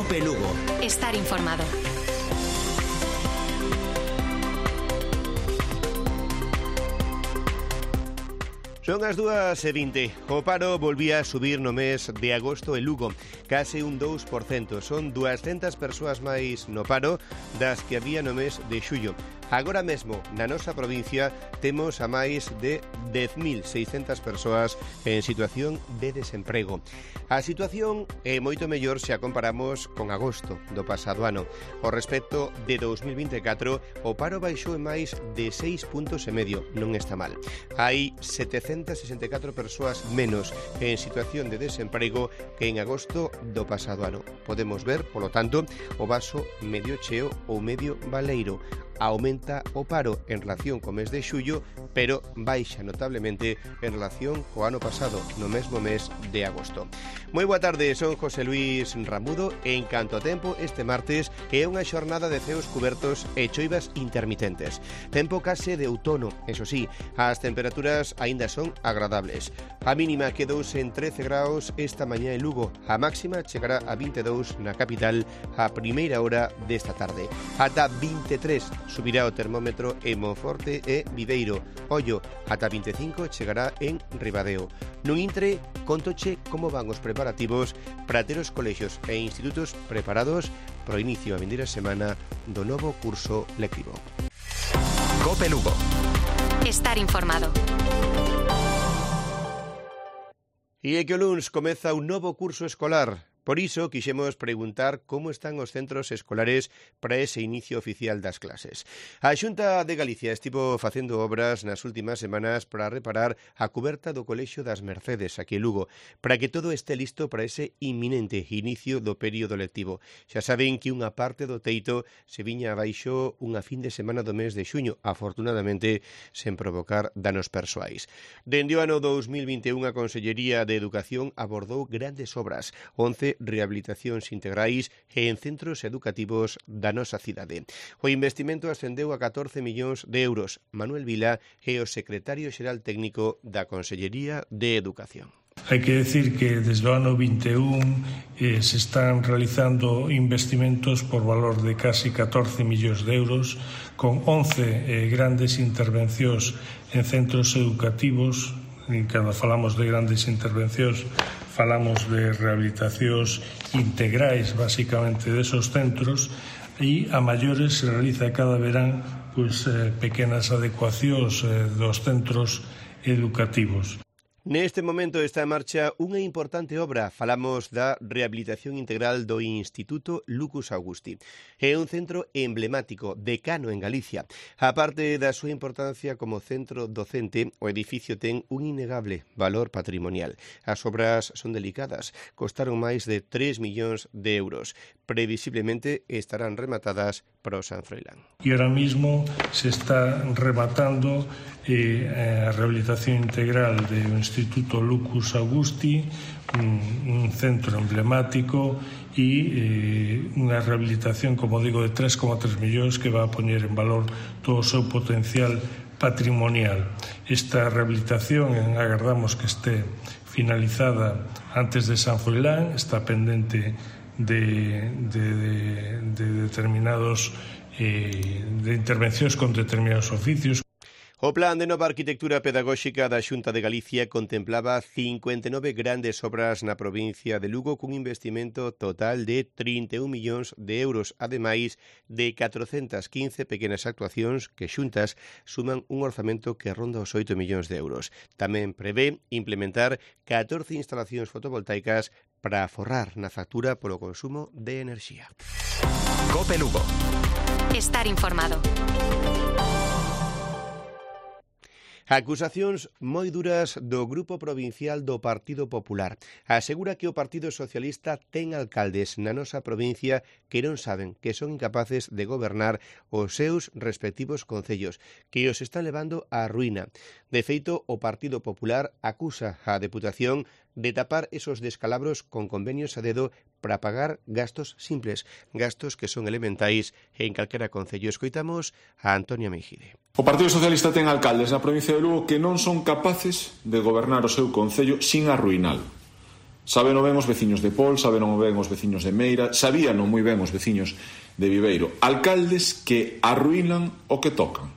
COPE Lugo. Estar informado. Son as 2:20. O paro volvía a subir no mes de agosto en Lugo, case un 2%. Son 200 persoas máis no paro das que había no mes de xullo. Agora mesmo, na nosa provincia, temos a máis de 10.600 persoas en situación de desemprego. A situación é moito mellor se a comparamos con agosto do pasado ano. O respecto de 2024, o paro baixou en máis de 6,5 puntos. Non está mal. Hai 764 persoas menos en situación de desemprego que en agosto do pasado ano. Podemos ver, polo tanto, o vaso medio cheo ou medio baleiro. Aumenta o paro en relación co mes de xullo, pero baixa notablemente en relación co ano pasado, no mesmo mes de agosto. Moi boa tarde, son José Luis Ramudo. En canto a tempo, este martes é unha xornada de ceos cubertos e choivas intermitentes. Tempo case de outono, eso sí, as temperaturas aínda son agradables. A mínima quedouse en 13 graus esta mañá en Lugo, a máxima chegará a 22 na capital a primeira hora desta tarde. Ata 23 subirá o termómetro en Monforte e Viveiro. Ollo, ata 25 chegará en Ribadeo. Nun intre, contoche como van os preparativos para ter os colexios e institutos preparados para o inicio a vindeira semana do novo curso lectivo. COPE Lugo. Estar informado. E é que o luns comeza un novo curso escolar. Por iso, quixemos preguntar como están os centros escolares para ese inicio oficial das clases. A Xunta de Galicia estivo facendo obras nas últimas semanas para reparar a cuberta do Colexio das Mercedes, aquí en Lugo, para que todo este listo para ese inminente inicio do período lectivo. Xa saben que unha parte do teito se viña abaixo unha fin de semana do mes de xuño, afortunadamente sen provocar danos persoais. Dende o ano 2021, a Consellería de Educación abordou grandes obras, 11 rehabilitacións integrais e en centros educativos da nosa cidade. O investimento ascendeu a 14 millóns de euros. Manuel Vila é o secretario xeral técnico da Consellería de Educación. Hai que decir que desde o ano 21 se están realizando investimentos por valor de casi 14 millóns de euros con 11 grandes intervencións en centros educativos. E cando falamos de grandes intervencións falamos de rehabilitacións integrais basicamente desos centros e a maiores se realiza cada verán pequenas adecuacións dos centros educativos. Neste momento está en marcha unha importante obra. Falamos da rehabilitación integral do Instituto Lucus Augusti. É un centro emblemático, decano en Galicia. A parte da súa importancia como centro docente, o edificio ten un innegable valor patrimonial. As obras son delicadas, costaron máis de 3 millóns de euros. Previsiblemente estarán rematadas para o San Froilán. E ahora mismo se está rematando a rehabilitación integral do Instituto Lucus Augusti, un centro emblemático e unha rehabilitación, como digo, de 3,3 millóns que va a poñer en valor todo o seu potencial patrimonial. Esta rehabilitación agardamos que este finalizada antes de San Froilán, está pendente de determinados de intervencións con determinados oficios. O Plan de Nova Arquitectura Pedagóxica da Xunta de Galicia contemplaba 59 grandes obras na provincia de Lugo cun investimento total de 31 millóns de euros, ademais de 415 pequenas actuacións que xuntas suman un orzamento que ronda os 8 millóns de euros. Tamén prevé implementar 14 instalacións fotovoltaicas para aforrar na factura polo consumo de enerxía. COPE Lugo. Estar informado. Acusacións moi duras do Grupo Provincial do Partido Popular. Asegura que o Partido Socialista ten alcaldes na nosa provincia que non saben, que son incapaces de gobernar os seus respectivos concellos, que os están levando á ruína. De feito, o Partido Popular acusa a Deputación de tapar esos descalabros con convenios a dedo para pagar gastos simples, gastos que son elementais en calquera concello. Escoitamos a Antonia Meijide. O Partido Socialista ten alcaldes na provincia de Lugo que non son capaces de gobernar o seu concello sin arruinalo. Sabeno ben os veciños de Pol, sabeno ben os veciños de Meira, sabíano moi ben os veciños de Viveiro. Alcaldes que arruinan o que tocan.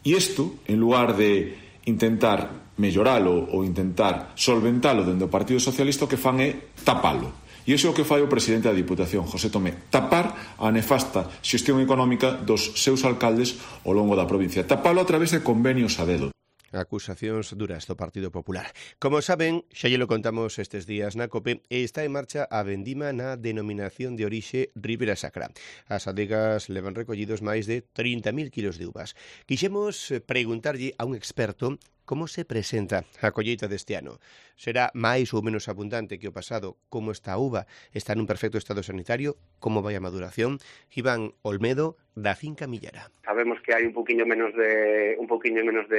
E isto, en lugar de intentar melloralo ou intentar solventalo dende o Partido Socialista, o que fan é tapalo. E iso é o que fai o presidente da Diputación, José Tomé, tapar a nefasta xestión económica dos seus alcaldes ao longo da provincia. Tapalo a través de convenios a dedo. Acusacións duras do Partido Popular. Como saben, xa lle lo contamos estes días na COPE, está en marcha a vendima na denominación de orixe Ribera Sacra. As adegas levan recollidos máis de 30.000 kilos de uvas. Quixemos preguntarlle a un experto como se presenta a colleita deste ano. Será máis ou menos abundante que o pasado? Como está a uva? Está nun perfecto estado sanitario? Como vai a maduración? Iván Olmedo, da finca Millara. Sabemos que hai un poquinho menos de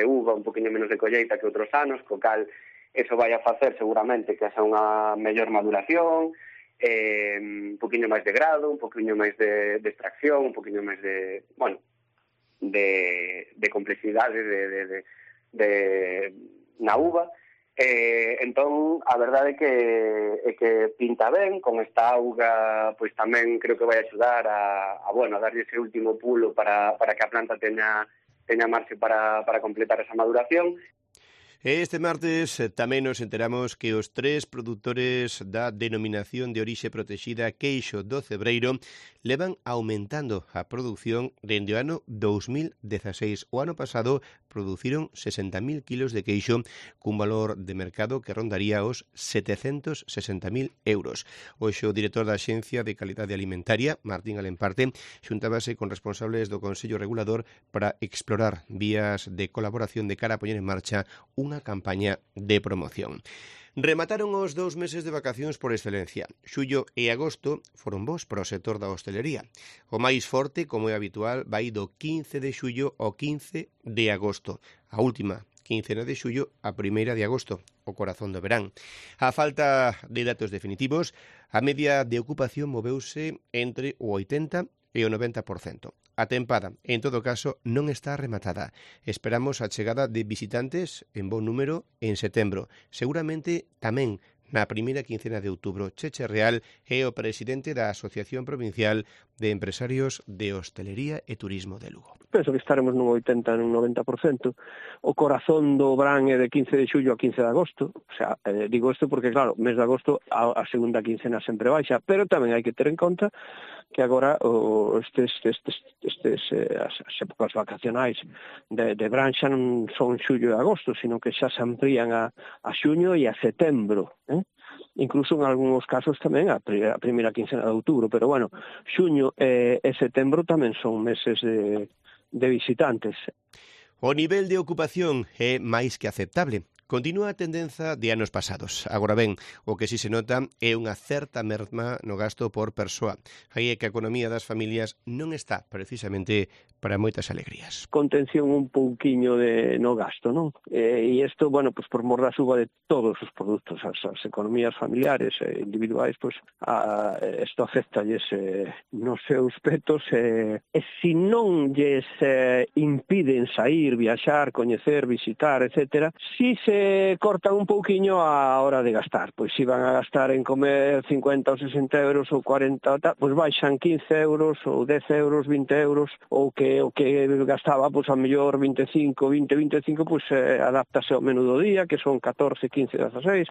uva, un poquinho menos de colleita que outros anos, co cal eso vai a facer seguramente que haxa unha mellor maduración, un poquinho máis de grado, un poquinho máis de extracción, un poquinho máis de complexidade na uva. Entón, a verdade é que pinta ben, con esta auga, pois tamén creo que vai axudar a darlle ese último pulo para que a planta teña marxe para completar esa maduración. Este martes tamén nos enteramos que os 3 produtores da denominación de orixe protexida Queixo do Cebreiro levan aumentando a produción dende o ano 2016. O ano pasado produciron 60.000 kilos de queixo cun valor de mercado que rondaría os 760.000 euros. Hoxe o director da Axencia de Calidade Alimentaria, Martín Alemparte, xuntábase con responsables do Consello Regulador para explorar vías de colaboración de cara a poñer en marcha unha campaña de promoción. Remataron os 2 meses de vacacións por excelencia. Xullo e agosto foron bons para o sector da hostelería. O máis forte, como é habitual, vai do 15 de xullo ao 15 de agosto. A última quincena de xullo a 1 de agosto, o corazón do verán. A falta de datos definitivos, a media de ocupación moveuse entre o 80% e o 90%. A tempada, en todo caso, non está rematada. Esperamos a chegada de visitantes en bon número en setembro. Seguramente tamén na primeira quincena de outubro. Cheche Real é o presidente da Asociación Provincial de Empresarios de Hostelería e Turismo de Lugo. Penso que estaremos nun 80, nun 90%. O corazón do verán é de 15 de xullo a 15 de agosto. O sea, digo isto porque, claro, mes de agosto a segunda quincena sempre baixa, pero tamén hai que ter en conta que agora as épocas vacacionais de verán xa non son xullo e agosto, sino que xa se amplían a xuño e a setembro, incluso en algúns casos tamén a primeira quincena de outubro, pero bueno, xuño e setembro tamén son meses de visitantes. O nivel de ocupación é máis que aceptable. Continúa a tendenza de anos pasados. Agora ben, o que si se nota é unha certa merma no gasto por persoa. Aí é que a economía das familias non está precisamente para moitas alegrías. Contención un pouquiño no gasto, non? E isto, bueno, pues por mor da suba de todos os produtos, as economías familiares e individuais, pues isto afectalles nos seus petos e se non lles impiden sair, viaxar, coñecer, visitar, etcétera, si se cortan un pouquiño a hora de gastar. Pois se van a gastar en comer 50 ou 60 euros ou 40, pois baixan 15 euros ou 10 euros, 20 euros, ou que gastaba, pois a mellor 25, pois adáptase ao menú do día, que son 14, 15, 16.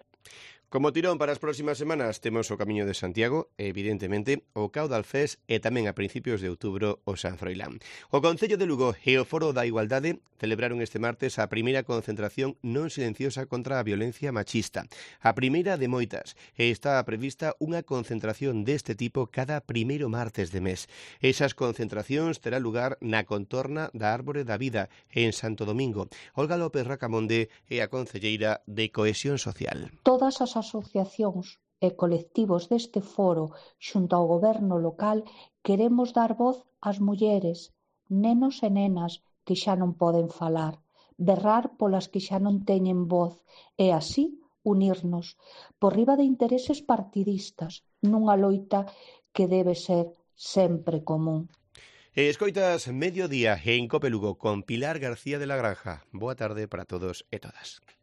Como tirón para as próximas semanas temos o Camiño de Santiago, evidentemente, o Caudal Fest e tamén a principios de outubro o San Froilán. O Concello de Lugo e o Foro da Igualdade celebraron este martes a primeira concentración non silenciosa contra a violencia machista. A primeira de moitas, e está prevista unha concentración deste tipo cada primeiro martes de mes. Esas concentracións terá lugar na contorna da Árbore da Vida en Santo Domingo. Olga López Racamonde é a concelleira de Cohesión Social. Todas as asociacións e colectivos deste foro xunto ao goberno local queremos dar voz ás mulleres, nenos e nenas que xa non poden falar, berrar polas que xa non teñen voz e así unirnos por riba de intereses partidistas nunha loita que debe ser sempre común. Escoitas Mediodía en Cope Lugo con Pilar García de la Granja. Boa tarde para todos e todas.